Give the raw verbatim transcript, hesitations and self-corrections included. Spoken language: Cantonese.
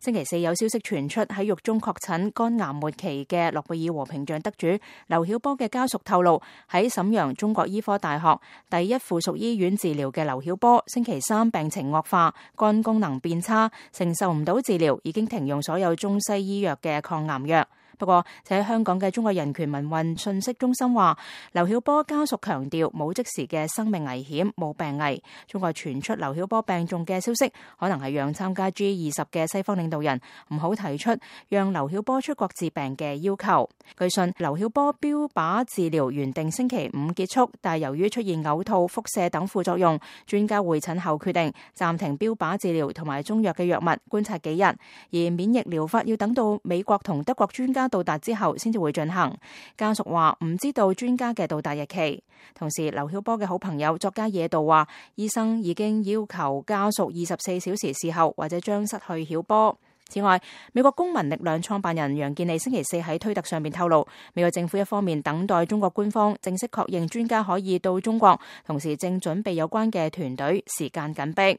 星期四有消息傳出，喺獄中確診肝癌末期嘅諾貝爾和平獎得主劉曉波嘅家屬透露，喺瀋陽中國醫科大學第一附屬醫院治療嘅劉曉波，星期三病情惡化，肝功能變差，承受唔到治療，已經停用所有中西醫藥嘅抗癌藥。不過，就喺香港嘅中國人權民運信息中心話，劉曉波家屬強調冇即時嘅生命危險，冇病危。中國傳出劉曉波病重嘅消息，可能係讓參加 G 二十嘅西方領導人唔好提出讓劉曉波出國治病嘅要求。據信，劉曉波標靶治療原定星期五結束，但由於出現嘔吐、腹瀉等副作用，專家會診後決定暫停標靶治療同埋中藥嘅藥物，觀察幾日。而免疫療法要等到美國同德國專家到達之後先至會進行。家屬話唔知道專家嘅到達日期。同時，劉曉波嘅好朋友作家野道話，醫生已經要求家屬二十四小時事後或者將失去曉波。此外，美國公民力量創辦人楊健利星期四喺推特上面透露，美國政府一方面等待中國官方正式確認專家可以到中國，同時正準備有關嘅團隊，時間緊迫。